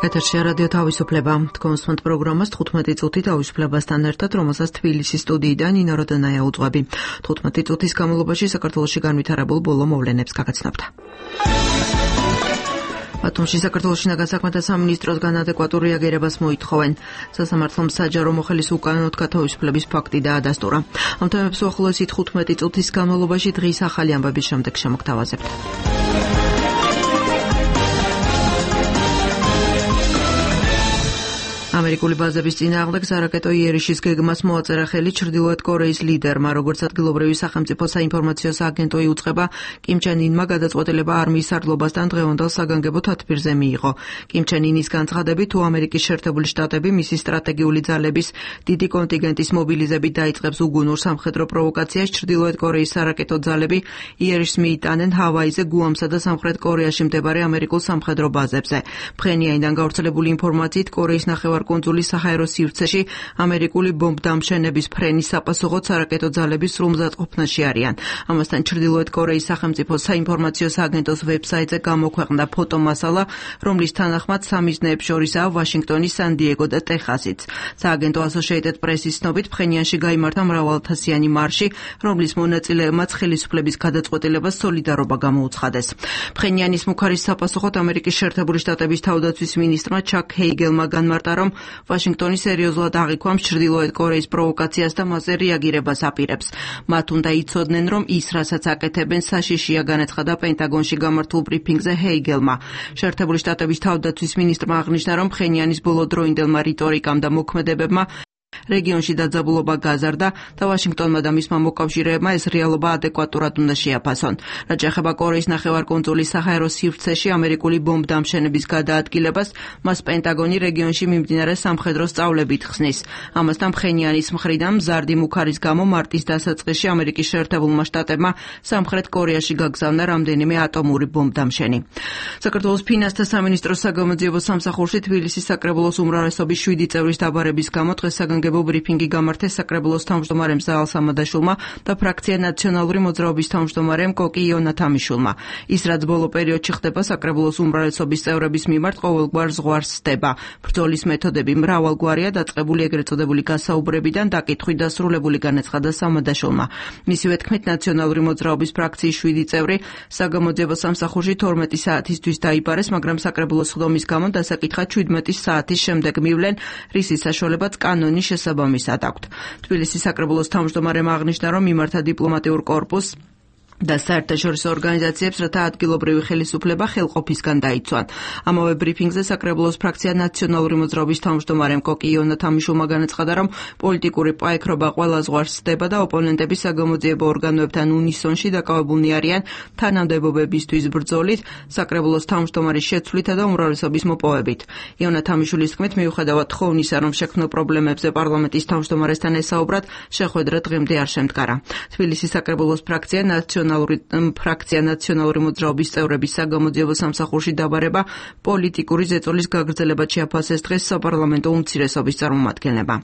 ეთერში რადიო თავისუფლება. თქვენ პროგრამას 15 წუთი თავისუფლებასთან ერთად, რომელსაც თბილისის სტუდიიდან ნინო როდანაია უძღვები. 15 წუთის განმავლობაში საქართველოში განვითარებულ ბოლო მოვლენებს გაგაცნობთ. ბათუმში საქართველოს შინაგან საქმეთა სამინისტროსგან ადეკვატურ რეაგირებას მოითხოვენ. სასამართლომ საჯარო მოხელის უკანონოდ გათავისუფლების ფაქტი დაადასტურა. ამ თემებს უახლოესი 15 წუთის განმავლობაში დღის ახალი ამბების შემდეგ შემოგთავაზებთ. ამერიკული ბაზების წინააღმდეგ სარაკეტო იერიშის გეგმას მოაწერა ხელი ჩრდილოეთ კორეის ლიდერმა, როგორც ადგილობრივი სახელმწიფო საინფორმაციო სააგენტო იუწყება, კიმ ჩენ ინმა გადაწყვეტილება არმიის სარდლობასთან დღევანდელ საგანგებო თათბირზე მიიღო. კიმ ჩენ ინის განცხადებით, თუ ამერიკის შეერთებული შტატები მისი სტრატეგიული ძალების დიდი კონტინგენტის მობილიზებით დაიწყებს უგუნურ სამხედრო პროვოკაციას, ჩრდილოეთ კორეის სარაკეტო ძალები იერიშს მიიტანენ ჰავაიზე, გუამსა და სამხრეთ კორეაში მდებარე ამერიკულ სამხედრო ბაზებზე. ფხენიაინიდან გავრცელებული ინფორმაციით, კორეის ნახევარკუნძულის საჰაერო სივრცეში ამერიკული ბომბდამშენების ფრენის საპასუხოდ სარაკეტო ძალები სრულმზადყოფნაში არიან. ამასთან ჩრდილოეთ კორეის სახელმწიფო საინფორმაციო სააგენტოს ვებსაიტზე გამოქვეყნდა ფოტომასალა, რომლის თანახმად სამიზნეებს შორისაა ვაშინგტონი, სან-დიეგო და ტეხასიც. სააგენტო Associated Press-ის ცნობით, ფხენიანში გაიმართა მრავალთასიანი მარში, რომლის მონაწილეებმაც ხელისუფლების გადაწყვეტილებას სოლიდარობა გამოუცხადეს. ფხენიანის მუქარის საპასუხოდ ამერიკის შეერთებული შტატების თავდაცვის მინისტრმა ჩაკ ჰეიგელმა განმარტა, რომ ვაშინგტონი სერიოზულად აღიქვამს ჩრდილოეთ კორეის პროვოკაციას და მასზე რეაგირებას აპირებს. მათ უნდა იცოდნენ, რომ ის, რასაც აკეთებენ, საშიშია, განაცხადა პენტაგონში გამართულ ბრიფინგზე ჰეიგელმა. შეერთებული შტატების თავდაცვის მინისტრმა აღნიშნა, რომ ფხენიანის ბოლოდროინდელმა რიტორიკამ და მოქმედებებმა რეგიონში დაძაბულობა გაზარდა და ვაშინგტონმა და მისმა მოკავშირეებმა ეს რეალობა ადეკვატურად უნდა შეაფასონ. რაც ეხება კორეის ნახევარკუნძულის საჰაერო სივრცეში ამერიკული ბომბდამშენების გადაადგილებას, მას პენტაგონი რეგიონში მიმდინარე სამხედრო სწავლებით ხსნის. ამასთან ფხენიანის მხრიდან მზარდი მუქარის გამო მარტის დასაწყისში ამერიკის შეერთებულმა შტატებმა სამხრეთ კორეაში გაგზავნა რამდენიმე ატომური ბომბდამშენი. საქართველოს ფინანსთა სამინისტროს საგამოძიებო სამსახურში თბილისის საკრებულოს უმრავლესობის 7 წევრის დაბარების გამო დღეს საგანგებო ბრიფინგი გამართეს საკრებულოს თავმჯდომარემ ზაალ სამადაშვილმა და ფრაქცია ნაციონალური მოძრაობის თავმჯდომარემ კოკი იონათამიშვილმა. ის, რაც ბოლო პერიოდში ხდება საკრებულოს უმრავლესობის წევრების მიმართ, ყოველგვარ ზღვარს სდება. ბრძოლის მეთოდები მრავალგვარია, დაწყებული ეგრეთ წოდებული გასაუბრებიდან დაკითხვით დასრულებული, განაცხადა სამადაშვილმა. მისივე თქმით, ნაციონალური მოძრაობის ფრაქციის 7 წევრი საგამოძიებო სამსახურში 12 საათისთვის დაიბარეს, მაგრამ საკრებულოს სხდომის გამო დასაკითხად 17 საათის შემდეგ მივლენ, რისის საშუალებაც კანონის შესაბამისად აქვთ. თბილისის საკრებულოს თავმჯდომარემ აღნიშნა, რომ მიმართა დიპლომატიურ კორპუსს და საერთაშორისო ორგანიზაციებს, რათა ადგილობრივი ხელისუფლება ხელყოფისგან დაიცვან. ამავე ბრიფინგზე საკრებულოს ფრაქცია ნაციონალური მოძრაობის თავმჯდომარემ კოკი იონათამიშვილმა განაცხადა, რომ პოლიტიკური პაიქრობა ყველა ზღვარს სდება და ოპონენტები საგამოძიებო ორგანოებთან უნისონში დაკავებულნი არიან თანამდებობებისთვის ბრძოლით, საკრებულოს თავმჯდომარის შეცვლითა და უმრავლესობის მოპოვებით. იონათამიშვილის თქმით, მიუხედავად თხოვნისა, რომ შექმნილ პრობლემებზე პარლამენტის თავმჯდომარესთან ესაუბრათ, შეხვედრა დღემდე არ შემდგარა. თბილისის საკრებულოს ფრაქცია ნაციონალური მოძრაობის წევრების საგამოძიებო სამსახურში დაბარება პოლიტიკური ზეწოლის გაგრძელებად შეაფასეს დღეს საპარლამენტო უმცირესობის წარმომადგენლებმა.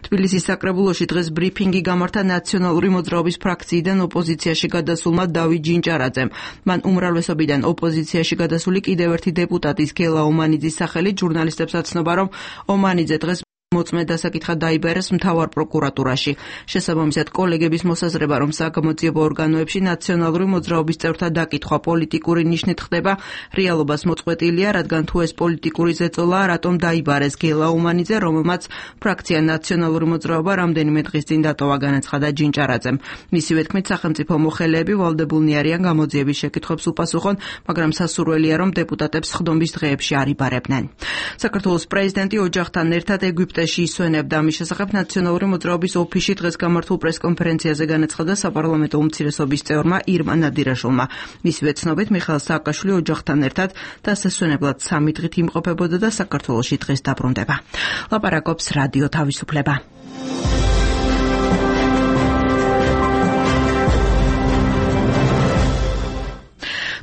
თბილისის საკრებულოში დღეს ბრიფინგი გამართა ნაციონალური მოძრაობის ფრაქციიდან ოპოზიციაში გადასულმა დავით ჯინჭარაძემ. მან უმრავლესობიდან ოპოზიციაში გადასული კიდევ ერთი დეპუტატის გელა ომანიძის სახელით ჟურნალისტებს აცნობა, რომ ომანიძე დღეს მოწმე დასაკითხად დაიბერეს მთავარ პროკურატურაში. შესაბამისად, კოლეგების მოსაზრება, რომ საგამოძიებო ორგანოებში ნაციონალური მოძრაობის წევრთა დაკითხვა პოლიტიკური ნიშნით ხდება, რეალობას მოწყვეტილია, რადგან თუ ეს პოლიტიკური ზეწოლაა, რატომ დაიბარეს გელა ომანიძე, რომელმაც ფრაქცია ნაციონალური მოძრაობა რამდენიმე დღის წინ დატოვა, განაცხადა ჯინჭარაძემ. მისივე თქმით, სახელმწიფო მოხელეები ვალდებულნი არიან გამოძიების შეკითხვებს უპასუხონ, მაგრამ სასურველია, რომ დეპუტატებს სხდომის დღეებში არ იბარებდნენ. საქართველოს პრეზიდენტი ოჯახთან ერთად ეგვიპტეში ისვენებდა. ამის შესახებ ნაციონალური მოძრაობის ოფისში დღეს გამართულ პრესკონფერენციაზე განაცხადა საპარლამენტო უმცირესობის წევრმა ირმა ნადირაშვილმა. მისივე ცნობით, მიხეილ სააკაშვილი ოჯახთან ერთად დასასვენებლად 3 დღით იმყოფებოდა და საქართველოში დღეს დაბრუნდება. ლაპარაკობს რადიო თავისუფლება.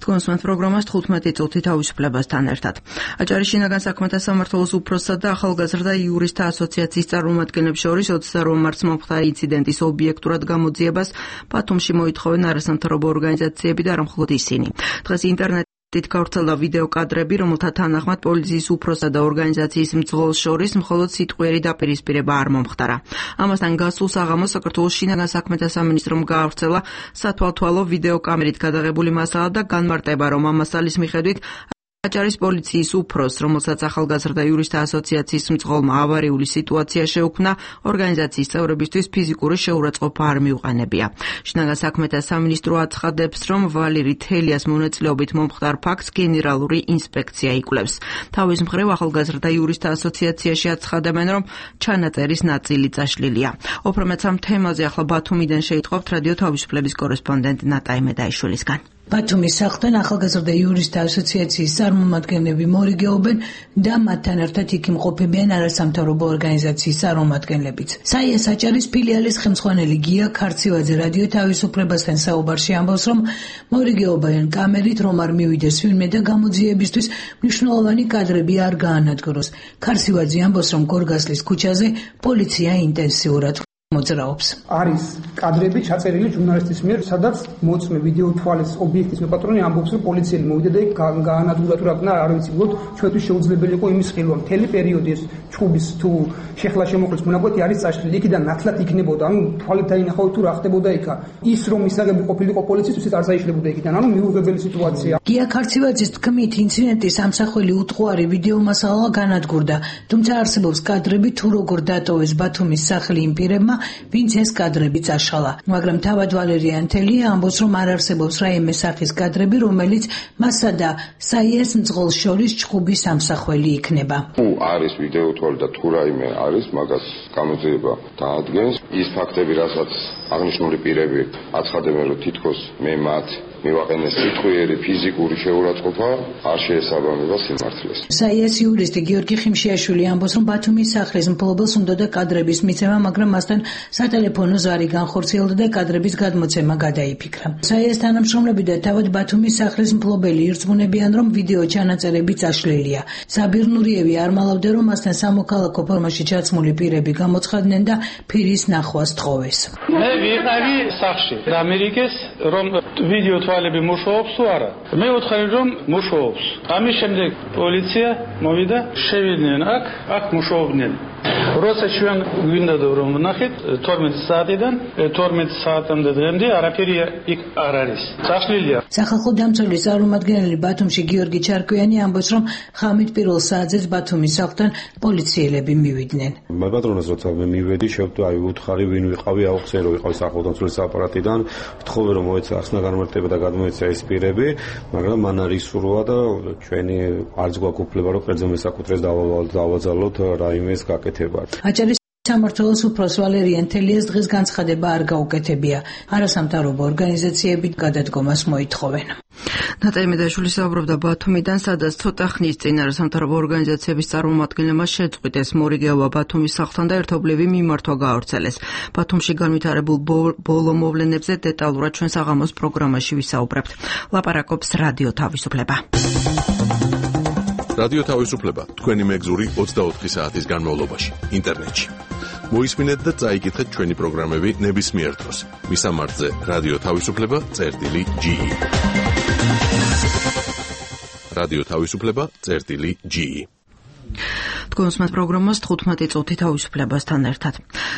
თქვენს პროგრამას 15 წუთი თავისუფლებასთან ერთად. აჭარის შინაგან საქმეთა სამმართველოს უფროსსა და ახალგაზრდა იურისტთა ასოციაციის წარმომადგენლებს შორის 28 მარტს მომხდარა ინციდენტის ობიექტურად გამოძიებას ბათუმში მოითხოვენ არასამთავრობო ორგანიზაციები და არა მხოლოდ ისინი. დღეს ინტერნეტ დიდ გავრცელდა ვიდეო კადრები, რომელთა თანახმად პოლიციის უფროსსა და ორგანიზაციის მძღოლს შორის მხოლოდ სიტყვიერი დაპირისპირება არ მომხდარა. ამასთან გასულ საღამოს საქართველოს შინაგან საქმეთა სამინისტრომ გაავრცელა სათვალთვალო ვიდეო კამერით გადაღებული მასალა და განმარტება, რომ ამ მასალის მიხედვით აჭარის პოლიციის უფროსს, რომელსაც ახალგაზრდა იურისტთა ასოციაციის მძღოლმა ავარიული სიტუაცია შეუქმნა, ორგანიზაციის წევრებისთვის ფიზიკური შეურაცხყოფა არ მიუყენებია. შინაგან საქმეთა სამინისტრო აცხადებს, რომ ვალერი თელიას მონაწილეობით მომხდარ ფაქტს გენერალური ინსპექცია იკვლევს. თავის მხრივ ახალგაზრდა იურისტთა ასოციაციაში აცხადებენ, რომ ჩანაწერის ნაწილი წაშლილია. უფრო ამ თემაზე ახლა ბათუმიდან შეიტყობთ რადიო თავისუფლების კორესპონდენტ ნატა იმედაიშვილისგან. ბათუმის სახლთან ახალგაზრდა იურისტთა ასოციაციის წარმომადგენლები მორიგეობენ და მათთან ერთად იქ იმყოფებიან არასამთავრობო ორგანიზაციის წარმომადგენლებიც. საიას აჭარის ფილიალის ხელმძღვანელი გია ქარცივაძე რადიო თავისუფლებასთან საუბარში ამბობს, რომ მორიგეობენ კამერით, რომ არ მივიდეს ვინმე და გამოძიებისთვის მნიშვნელოვანი კადრები არ გაანადგუროს. ქარცივაძე ამბობს, რომ გორგასლის ქუჩაზე პოლიცია ინტენსიურად მოძრაობს. არის კადრები ჩაწერილი ჟურნალისტის მიერ, სადაც მოწმე ვიდეო თვალის ობიექტის მეპატრონი ამბობს, რომ პოლიციელი მოვიდა და გაანადგურა თუ რა გნა, არ ვიცი, უბრალოდ ჩვენთვის შეუძლებელი იყო იმის ხილვა. მთელი პერიოდი ეს ჩხუბის თუ შეხლა შემოხლის მონაკვეთი არის წაშლილი, იქიდან ნათლად იქნებოდა, ანუ თვალით დაინახავთ თუ რა ხდებოდა იქა. ის რომ მისაღები ყოფილიყო პოლიციისთვის არ წაიშლებოდა იქიდან, ანუ მიუღებელი სიტუაცია. გია ქარცივაძის თქმით, ინციდენტის ამსახველი უტყუარი ვიდეო მასალა განადგურდა, თუმცა არსებობს კადრები თუ როგორ დატოვეს ბათუმის სახლი იმ პირებმა, ვინც ეს კადრები წაშალა. მაგრამ თავად ვალერიან თელია ამბობს, რომ არ არსებობს რაიმე სახის კადრები, რომელიც მასა და საიას მძღოლს შორის ჩხუბის ამსახველი იქნება. თუ არის ვიდეო თვალი და თუ რაიმე არის, მაგას გამოძიება დაადგენს. ის ფაქტები, რასაც აღნიშნული პირები აცხადებენ, რომ თითქოს მე მათ მივაყენეს სიტყვიერი ფიზიკური შეურაცხყოფა, არ შეესაბამება სიმართლეს. საიას იურისტი გიორგი ხიმშიაშვილი ამბობს, რომ ბათუმის სახლის მფლობელს უნდოდა კადრების მიცემა, მაგრამ მასთან სატელეფონო ზარი განხორციელდა და კადრების გადმოცემა გადაიფიქრა. საიას თანამშრომლები და თავად ბათუმის სახლის მფლობელი ირწმუნებიან, რომ ვიდეო ჩანაწერები წაშლილია. საბირ ნურიევი არ მალავდა, რომ მასთან სამოქალაქო ფორმაში ჩაცმული პირები გამოცხადდნენ და ფირის ნახვას თხოვეს. მე ვიყავი სახში და ამერიკის რომ ვიდეო თვალები მუშაობს თუ არა. მე ვუთხარი რომ მუშაობს. ამის შემდეგ პოლიცია მოვიდა, შევიდნენ აქ მუშაობდნენ. როცა ჩვენ გვინდა რომ ვნახეთ 12 საათიდან 12 საათამდე დღემდე არაფერი იქ არ არის. წაშლილია. სახალხო დამცველის წარმომადგენელი ბათუმში გიორგი ჩარკვიანი ამბობს, რომ ხამით პირველ საათზეც ბათუმის სახლთან პოლიციელები მივიდნენ. მე პატრონას როცა მივედი, უთხარი ვინ ვიყავი, აუხსენ რომ ვიყავი სახალხო დამცველის აპარატიდან, ვთხოვე რომ მოეცა ახსნა განმარტება და გადმოეცა ეს პირები, მაგრამ მან არ ისურვა და ჩვენი არც გვაქვს უფლება რომ ყერძო მესაკუთრეს დავაძალოთ რაიმეს გაკეთება. აჭარის სამმართველოს უფროს ვალერიან თელიას დღეს განცხადება არ გაუკეთებია. არასამთავრობო ორგანიზაციები გადადგომას მოითხოვენ. ნატა იმედაშვილი საუბრობდა ბათუმიდან, სადაც ცოტა ხნის წინ არასამთავრობო ორგანიზაციების წარმომადგენლებმა შეწყვიტეს მორიგეობა ბათუმის სახლთან და ერთობლივი მიმართვა გაავრცელეს. ბათუმში განვითარებულ ბოლო მოვლენებზე დეტალურად ჩვენ საღამოს პროგრამაში ვისაუბრებთ. ლაპარაკობს რადიო თავისუფლება. რადიო თავისუფლება, თქვენი მეგზური 24 საათის განმავლობაში, ინტერნეტში. მოისმინეთ და წაიკითხეთ ჩვენი პროგრამები ნებისმიერ დროს. მისამართზე რადიო თავისუფლება.ge. რადიო თავისუფლება.ge. თქვენს მათ პროგრამას 15 წუთი თავისუფლებასთან ერთად.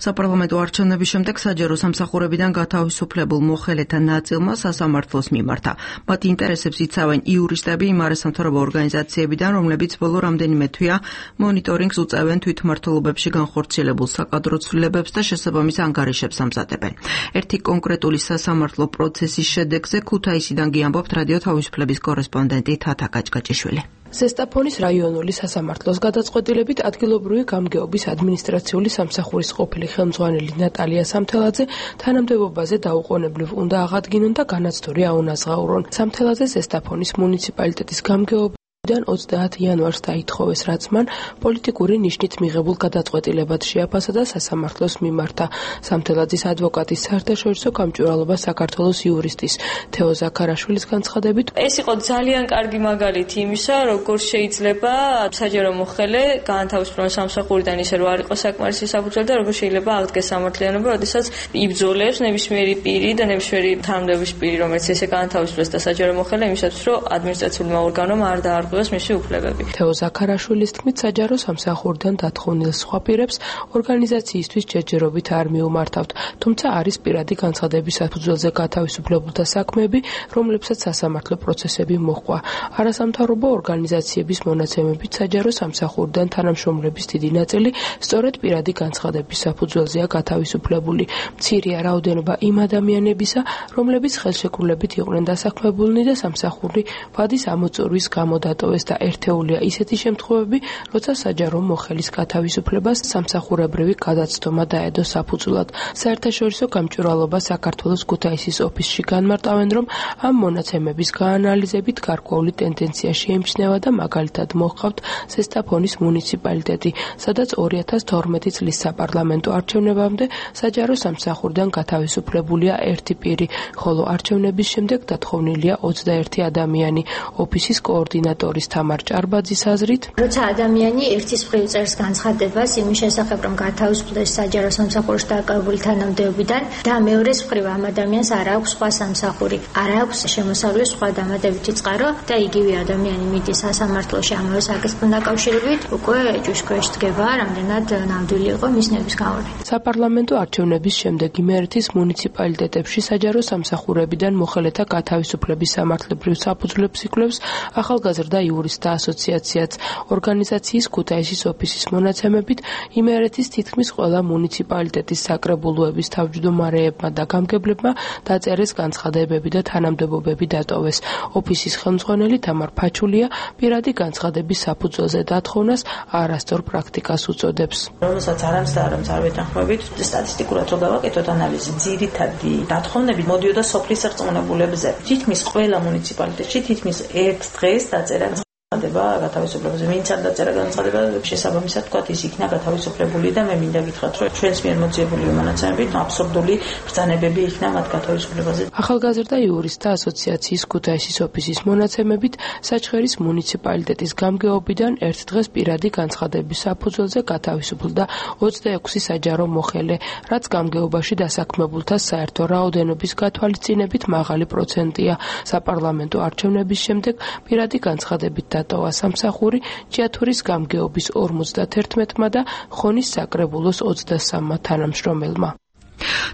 საპარლამენტო არჩევნების შემდეგ საჯარო სამსახურებიდან გათავისუფლებულ მოხელეთა ნაწილმა სასამართლოს მიმართა. მათ ინტერესებს იცავენ იურისტები იმ არასამთავრობო ორგანიზაციებიდან, რომლებიც ბოლო რამდენიმე თვეა მონიტორინგს უწევენ თვითმმართველობებში განხორციელებულ საკადრო ცვლილებებს და შესაბამის ანგარიშებს ამზადებენ. ერთი კონკრეტული სასამართლო პროცესის შედეგზე ქუთაისიდან გიამბობთ რადიო თავისუფლების კორესპონდენტი თათა გაჭგაჭიშვილი. ზესტაფონის რაიონული სასამართლოს გადაწყვეტილებით ადგილობრივი გამგეობის ადმინისტრაციული სამსახურის ყოფილი ხელმძღვანელი ნატალია სამთელაძე თანამდებობაზე დაუყოვნებლივ უნდა აღადგინონ და განაცდური აუნაზღაურონ. სამთელაძე ზესტაფონის მუნიციპალიტეტის გამგეობის დან 30 იანვარს დაითხოვეს, რაც მან პოლიტიკური ნიშნით მიღებულ გადაწყვეტილებად შეაფასა და სასამართლოს მიმართა. სამთელაძის ადვოკატის საერთაშორისო გამჭვირვალობა საქართველოს იურისტის თეო ზაქარაშვილის განცხადებით, ეს იყო ძალიან კარგი მაგალითი იმისა, როგორ შეიძლება საჯარო მოხელე გაანთავისუფლოს სამსახურიდან ისე რომ არ იყოს საკმარისი საფუძველი და როგორ შეიძლება აღდგეს სამართლიანობა, როდესაც იბრძოლებს ნებისმიერი პირი და ნებისმიერი თანამდებობის პირი, რომელიც ესე გაანთავისუფლეს და საჯარო მოხელე იმისათვის, რომ ადმინისტრაციულმა ორგანომ არ დაარღვევოს მისი უფლებები. თეო ზაქარაშვილის თქმით, საჯარო სამსახურიდან დათხოვნილ სხვა პირებს ორგანიზაციისთვის ჯერჯერობით არ მიუმართავთ, თუმცა არის პირადი განცხადების საფუძველზე გათავისუფლებულთა საქმეები, რომლებსაც სასამართლო პროცესები მოჰყვა. არასამთავრობო ორგანიზაციების მონაცემებით საჯარო სამსახურიდან თანამშრომლების დიდი ნაწილი სწორედ პირადი განცხადების საფუძველზეა გათავისუფლებული. მცირეა რაოდენობა იმ ადამიანებისა, რომლებიც ხელშეკრულებით იყვნენ დასაქმებულნი და სამსახური ვადის ამოწურვის გამო დატოვეს და ერთეულია ისეთი შემთხვევები, როცა საჯარო მოხელის გათავისუფლებას სამსახურებრივი გადაცდომა დაედო საფუძვლად. საერთაშორისო გამჭვირვალობა საქართველოს ქუთაისის ოფისში განმარტავენ, რომ ამ მონაცემების გაანალიზებით გარკვეული ტენდენცია შეიმჩნევა და მაგალითად მოჰყავთ ზესტაფონის მუნიციპალიტეტი, სადაც 2012 წლის საპარლამენტო არჩევნებამდე საჯარო სამსახურიდან გათავისუფლებულია ერთი პირი, ხოლო არჩევნების შემდეგ დათხოვნილია 21 ადამიანი. ოფისის კოორდინატორის თამარ ჭარბაძის აზრით, როცა ადამიანი ერთის მხრივ წერს განცხადებას იმის შესახებ, რომ გათავისუფლდეს საჯარო სამსახურში დაკავებული თანამდებობიდან და მეორეს მხრივ ამ ადამიანს არ აქვს სხვა სამსახური, არ აქვს შემოსავლის სხვა დამატებითი წყარო და იგივე ადამიანი მიდის სასამართლოში ამავე საკითხთან დაკავშირებით, უკვე ჭუშქვეშ დგება, რამდენად ნამდვილი იყო მის ნების გავლენა. საპარლამენტო არჩევნების შემდეგ იმერეთის მუნიციპალიტეტებში საჯარო სამსახურებიდან მოხელეთა გათავისუფლების სამართლებრივ საფუძვლებს იკვლევს ახალგაზრდა იურისტთა ასოციაციაც. ორგანიზაციის ქუთაისის ოფისის მონაცემებით იმერეთის თითქმის ყველა მუნიციპალიტეტის საკრებულოების თავმჯდომარეებმა და გამგებლებმა დაწერეს განცხადებები და თანამდებობები დატოვეს. ოფისის ხელმძღვანელი თამარ ფაჩულია პირადი განცხადების საფუძველზე დათხოვნას არასწორ პრაქტიკას უწოდებს. რომელსაც არამც და არამც არ ვეთანხმებით, სტატისტიკურად რო გავაკეთოთ ანალიზი, ძირითადი დათხოვნები მოდიოდა სოფლის რწმუნებულებზე. თითქმის ყველა მუნიციპალიტეტში თითქმის ერთ დღეს დაწერა განცხადება გათავისუფლებაზე. ვინც არ დაწერა განცხადება, შესაბამისად თქვა ის იქნა გათავისუფლებული და მე მინდა გითხრათ, რომ ჩვენს მიერ მოძიებული მონაცემებით აბსურდული ბრძანებები იქნა მათ გათავისუფლებაზე. ახალგაზრდა იურისტთა ასოციაციის ქუთაისის ოფისის მონაცემებით საჩხერის მუნიციპალიტეტის გამგეობიდან ერთ დღეს პირადი განცხადების საფუძველზე გათავისუფლდა 26 საჯარო მოხელე, რაც გამგეობაში დასაქმებულთა საერთო რაოდენობის გათვალისწინებით მაღალი პროცენტია. საპარლამენტო არჩევნების შემდეგ პირადი განცხადებით დატოვა სამსახური ჭიათურის გამგეობის 51-მა და ხონის საკრებულოს 23-მა თანამშრომელმა.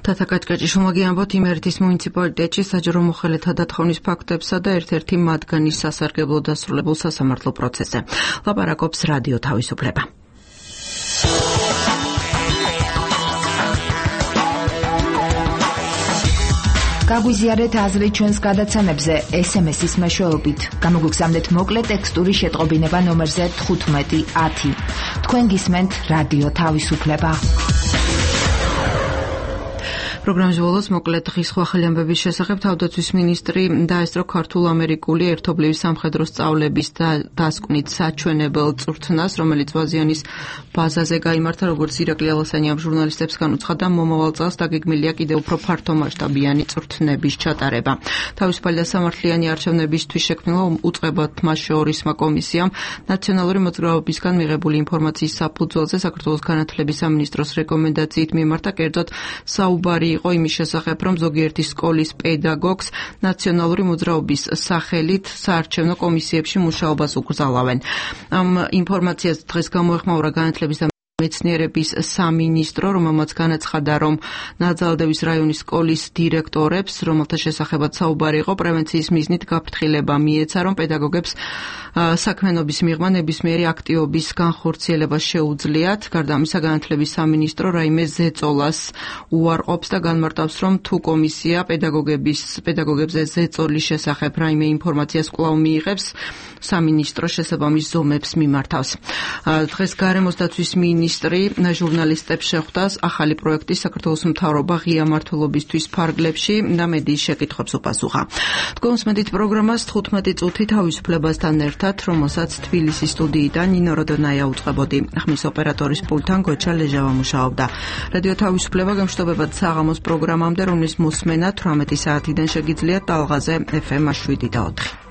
თათა კაჭკაჭი შუმაგიანბოთ იმერეთის მუნიციპალიტეტში საჯარო მოხელეთა დათხოვნის ფაქტებსა და ერთ-ერთი მათგანის სასარგებლო დასრულებულ სასამართლო პროცესზე. ლაპარაკობს რადიო თავისუფლება. გაგვიზიარეთ აზრი ჩვენს გადაცემებზე SMS-ის მეშვეობით. გამოგვიგზავნეთ მოკლე ტექსტური შეტყობინება ნომერზე 1510. თქვენ გისმენთ რადიო თავისუფლება. პროგრამის ბოლოს მოკლედ დღის ხვალ ამბების შესახებ თავდაცვის მინისტრი დაესწრო ქართულ-ამერიკული ერთობლივი სამხედრო სწავლების დასკვნით საჩვენებელ წვრთნას, რომელიც ვაზიანის ბაზაზე გაიმართა, როგორც ირაკლი ალასანიამ ჟურნალისტებს განუცხადა, მომავალ წელს დაგეგმილია კიდევ უფრო ფართომასშტაბიანი წვრთნების ჩატარება. თავისუფალი და სამართლიანი არჩევნებისთვის შექმნილ უწყებათმა შეორისმა კომისიამ ნაციონალური მოძრაობისგან მიღებული ინფორმაციის საფუძველზე საქართველოს განათლების სამინისტროს რეკომენდაციით მიმართა, კერძოდ საუბარი იყო იმის შესახებ, რომ ზოგიერთი სკოლის პედაგოგს ნაციონალური მოძრაობის სახელით საარჩევნო კომისიებში მუშაობას უკრძალავენ. ამ ინფორმაციას დღეს გამოეხმაურა განათლების და მეცნიერების სამინისტრო, რომელმაც განაცხადა, რომ ნაძალდევის რაიონის სკოლის დირექტორებს, რომელთა შესახებაც საუბარი იყო, პრევენციის მიზნით გაფრთხილება მიეცა, რომ პედაგოგებს საქმიანობის მიღმა ნებისმიერი აქტივობის განხორციელება შეუძლიათ. გარდა ამისა, განათლების სამინისტრო რაიმე ზეწოლას უარყოფს და განმარტავს, რომ თუ კომისია პედაგოგებზე ზეწოლის შესახებ რაიმე ინფორმაციას კვლავ მიიღებს, სამინისტრო შესაბამის ზომებს მიმართავს. დღეს გარემოს დაცვის მინისტრი მინისტრი ჟურნალისტებს შეხვდა ახალი პროექტის საქართველოს მთავრობა ღია მმართველობისთვის ფარგლებში და მედიის შეკითხვებს უპასუხა. თქვენ უსმენთ პროგრამას 15 წუთი თავისუფლებასთან ერთად, რომელსაც თბილისის სტუდიიდან ნინო როდონაია უწყებოდი. ხმის ოპერატორის პულტთან გოჩა ლეჟავა მუშაობდა. რადიო თავისუფლება გამშვიდობებად საღამოს პროგრამამდე, რომლის მოსმენა 18 საათიდან შეგიძლიათ ტალღაზე FM 7 და 4.